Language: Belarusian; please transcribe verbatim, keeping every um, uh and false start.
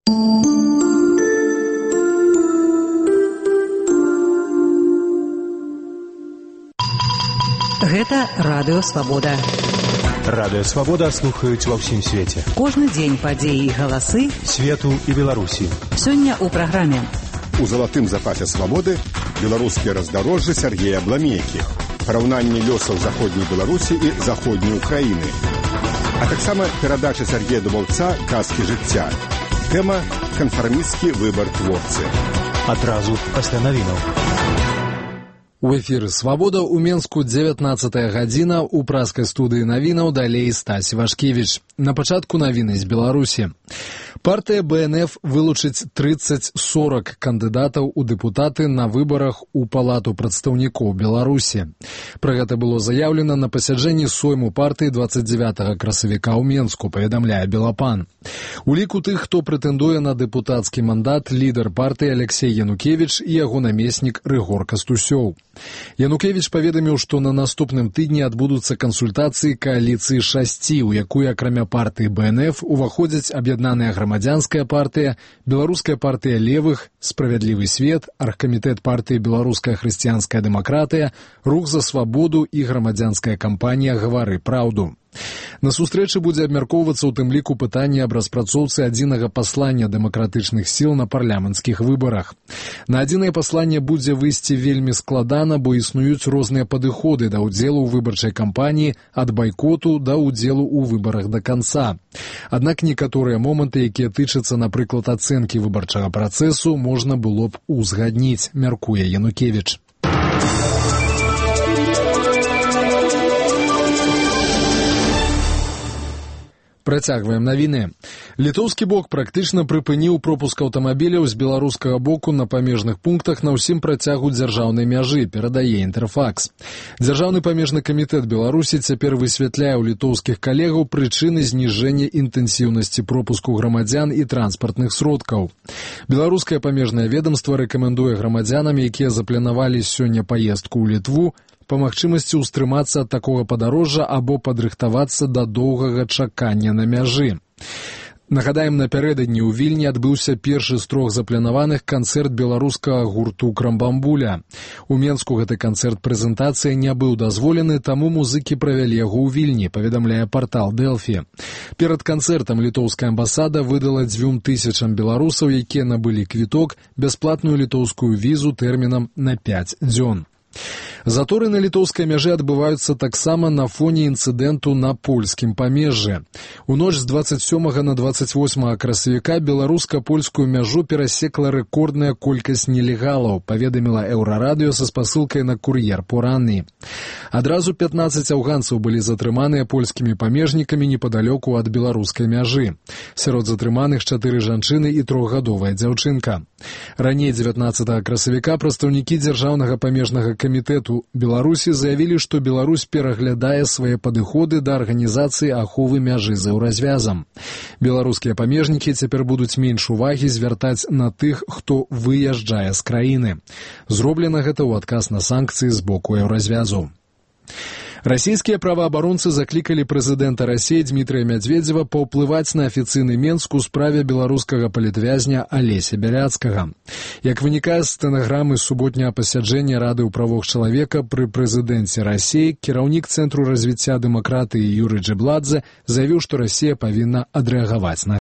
Гэта Радыё Свабода. Радыё Свабода слухаюць ва ўсім свеце. Кожны дзень падзеі і галасы свету і Беларусі. Сёння ў праграме. У залатым запасе свабоды беларускія раздарожжы Сергея Бламейкі, параўнанне лёсаў заходняй Беларусі і заходняй Украіны, а таксама перадача Сергея Дубаўца «Казкі жыцця». Тэма «Канфармісцкі выбар творцы». Адразу пасля навінаў. У эфіры «Свабода» у Менску дзевятнаццатая гадзіна, у праскай студыі навінаў далей Стась Вашкевіч. На пачатку навіны з Беларусі. Партыя бэ эн эф вылучыць трыццаць-сорак кандыдатаў у дэпутаты на выбарах у Палату прадстаўнікоў Беларусі. Пра гэта было заяўлена на пасяджэнні сойму партыі дваццаць дзевятага красавіка ў Менску, паведамляе Белапан. У ліку тых, хто прэтэндуе на дэпутацкі мандат, лідар партыі Алексей Янукевіч і яго намеснік Рыгор Кастусёў. Янукевіч паведаміў, што на наступным тыдні адбудуцца кансультацыі кааліцыі шасці, у якую акрамя партыі бэ эн эф уваходзяць аб'яднаная грамадзянская партыя, беларуская партыя левых, справядлівы свет, аргкамітэт партыі беларуская хрысціянская дэмакратыя, рух за свабоду і грамадзянская кампанія «Гавары праўду». На сустрэчы будзе абмяркоўвацца ў тым ліку пытанне аб распрацоўцы адзінага паслання дэмакратычных сіл на парламенцкіх выбарах. На адзінае пасланне будзе выйсці вельмі складана, бо існуюць розныя падыходы да ўдзелу ў выбарчай кампаніі, ад байкоту да ўдзелу ў выбарах да канца. Аднак некаторыя моманты, якія тычацца, напрыклад, ацэнкі выбарчага працэсу, можна было б узгадніць, мяркуе Янукевіч. Працягваем навіны. Літоўскі бок практычна прыпыніў пропуск аўтамабіляў з беларускага боку на памежных пунктах на ўсім працягу дзяржаўнай мяжы, перадае Інтэрфакс. Дзяржаўны памежны камітэт Беларусі цяпер высвятляе ў літоўскіх калегаў прычыны зніжэння інтэнсіўнасці пропуску грамадзян і транспартных сродкаў. Беларускае памежнае ведамства рэкамендуе грамадзянам, якія запланавалі сёння паездку ў Літву, па магчымасці ўстрымацца ад такога падарожжа або падрыхтавацца да доўгага чакання на мяжы. Нагадаем, напярэдадні ў Вільні адбыўся першы з трох запланаваных канцэрт беларускага гурту «Крамбамбуля». У Менску гэты канцэрт-прэзентацыя не быў дазволены, таму музыкі правялі яго ў Вільні, паведамляе партал Дэлфі. Перад канцэртам літоўская амбасада выдала дзвюм тысячам беларусаў, якія набылі квіток, бясплатную літоўскую візу тэрмінам на пяць дзён. Заторы на літоўскай мяжы адбываюцца таксама на фоне інцыдэнту на польскім памежжы. У ноч з дваццаць сёмага на дваццаць восьмага красавіка беларуска-польскую мяжу перасекла рэкордная колькасць нелегалаў, паведаміла Еўрарадыё са спасылкай на кур'ер поранні. Адразу пятнаццаць афганцаў былі затрыманыя польскімі памежнікамі непадалёку ад беларускай мяжы. Сярод затрыманых чатыры жанчыны і трохгадовая дзяўчынка. Раней дзевятнаццатага красавіка прадстаўнікі дзяржаўнага памежнага камітэту Беларусі заявілі, што Беларусь пераглядае свае падыходы да арганізацыі аховы мяжы з еўразвязам. Беларускія памежнікі цяпер будуць менш увагі звяртаць на тых, хто выязджае з краіны. Зроблена гэта ў адказ на санкцыі з боку еўразвязу. Расійскія праваабаронцы заклікалі прэзідэнта Расіі Дмітрыя Мядзведзева паўплываць на афіцыйны Менск у справе беларускага палітвязня Алеся Бяляцкага. Як вынікае з стэнаграмы суботняга пасяджэння Рады ў правах чалавека пры прэзідэнце Расіі, кіраўнік Цэнтру развіцця дэмакратыі Юрый Джэбладзе заявіў, што Расія павінна адрэагаваць на